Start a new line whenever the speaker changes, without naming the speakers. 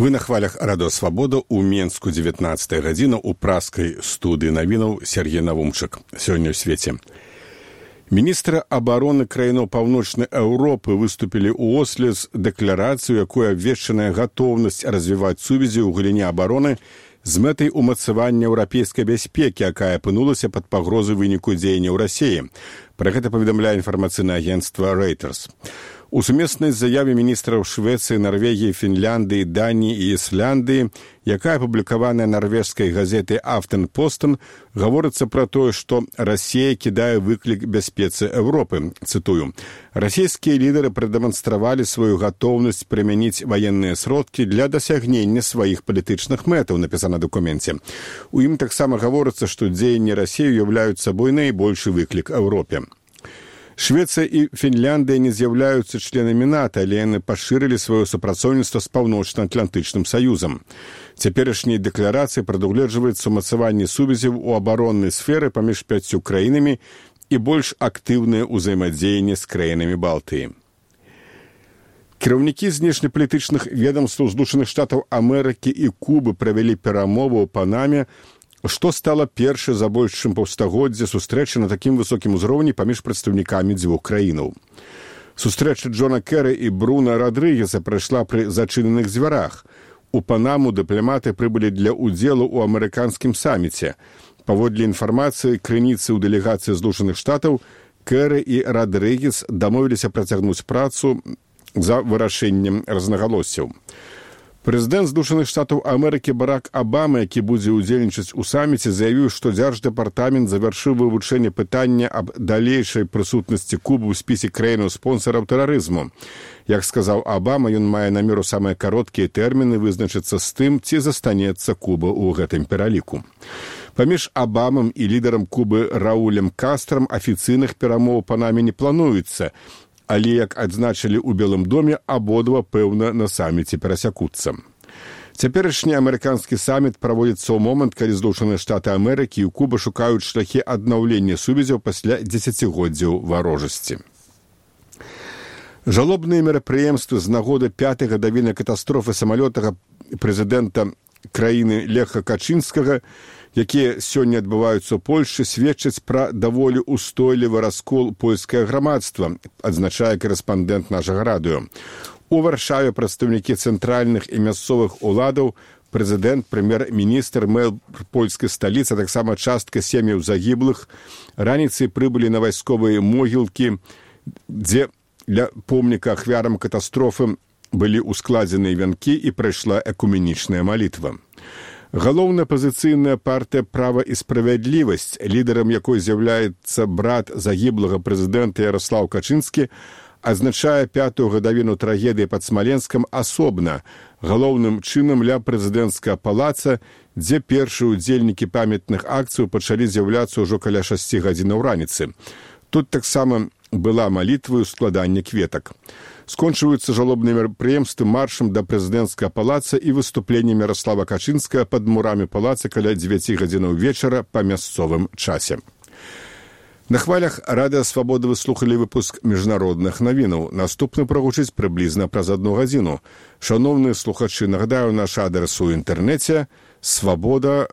Вы на хвалях Радыё Свабода ў Менску 19 гадзіна ў праскай студыі навінаў Сергей Навумчык. Сёння ў свеце. Міністры абароны краінаў Паўночнай Еўропы выступілі ў Осле з дэкларацыю, якой абвешчаная гатоўнасць развіваць сувязі ў галіне абароны з мэтай умацавання еўрапейскай бяспекі, якая апынулася пад пагрозай выніку дзеянняў Расіі. Пра гэта паведамляе інфармацыйнае агенцтва Reuters. У сумеснай заяве міністраў Швецыі, Нарвегіі, Фінляндыі, Даніі і Ісляндыі, якая апублікаваная нарвежскай газетай «Афтенпостен», гаворыцца пра тое, што Расія кідае выклік бяспецы Еўропы. Цытую. «Расійскія лідары прадэманстравалі сваю гатоўнасць прымяніць ваенныя сродкі для дасягнення сваіх палітычных мэтаў», напісана ў дакуменце. У ім таксама гаворыцца, што дзеянні Расіі ўяўляюць сабой найбольшы выклік Еўропе. Швецыя і Фінляндыя не з'яўляюцца членамі НАТО, але яны пашырылі сваё супрацоўніцтва з Паўночна-Атлантычным саюзам. Цяперашняй дэкларацыі прадугледжваецца умацаванне сувязяў у абароннай сферы паміж 5 краінамі і больш актыўнае ўзаемадзеянне з краінамі Балтыі. Кіраўнікі знешнепалітычных ведамстваў Злучаных Штатаў Амерыкі і Кубы правялі перамовы ў Панаме, што стала першай за больш чым паўстагоддзя сустрэчы на такім высокім узроўні паміж прадстаўнікамі дзвюх краінаў. Сустрэча Джона Кэры і Бруна Радрыгеса прайшла пры зачыненых дзвярах. У Панаму дыпламаты прыбылі для ўдзелу ў амерыканскім саміце. Паводле інфармацыі крыніцы ў дэлегацыі Злучаных Штатаў, Кэры і Радрыгес дамовіліся працягнуць працу за вырашэннем рознагалоссяў. Прэзідэнт Злучаных Штатаў Амерыкі Барак Абама, які будзе ўдзельнічаць у саміце, заявіў, што Дзярждэпартамент завяршыў вывучэнне пытання аб далейшай прысутнасці Кубы ў спісе краінаў-спонсараў тэрарызму. Як сказаў Абама, ён мае намер у самыя кароткія тэрміны вызначыцца з тым, ці застанецца Куба ў гэтым пераліку. Паміж Абамам і лідарам Кубы Раулем Кастрам афіцыйных перамоў па намі не плануецца, але, як адзначылі ў Белым доме, абодва, пэўна, на саміце перасякуцца. Цяперашні амерыканскі саміт праводзіцца ў момант, калі Злучаныя Штаты Амерыкі і Куба шукаюць шляхі аднаўлення сувязяў пасля дзесяцігоддзяў варожасці. Жалобныя мерапрыемствы з нагоды 5-й гадавіны катастрофы самалёта прэзідэнта краіны Леха Качынскага, якія сёння адбываюцца ў Польшчы, сведчаць пра даволі устойлівы раскол польскае грамадства, адзначае корэспандэнт нашага радыё. У Варшаве прадстаўнікі цэнтральных і мясцовых уладаў, прэзідэнт, прэм'ер-міністр, мэр польскай сталіцы, а таксама частка сем'яў загіблых, раніцай прыбылі на вайсковыя могілкі, дзе для помніка ахвярам катастрофы былі ўскладзеныя вянкі і прайшла экуменічная малітва. Галоўная апазіцыйная партыя «Права і справядлівасць», лідарам якой з'яўляецца брат загіблага прэзідэнта Ярослаў Качынскі, адзначае 5-ю гадавіну трагедыі пад Смаленскам асобна, галоўным чынам ля прэзідэнцкага палаца, дзе першыя ўдзельнікі памятных акцыяў пачалі з'яўляцца ўжо каля 6 гадзінаў раніцы. Тут таксама была малітва і складанне кветак. Скончваюцца жалобныя мерапрыемствы маршам да прэзідэнцкага палаца і выступленнем Ярослава Качынскага пад мурамі палаца каля 9 гадзінаў вечара па мясцовым часе. На хвалях Радыё Свабода вы слухалі выпуск міжнародных навінаў. Наступны прагучыць прыблізна праз 1 гадзіну. Шановныя слухачы, нагадаю наш адрес у інтэрнэце свабода.орг.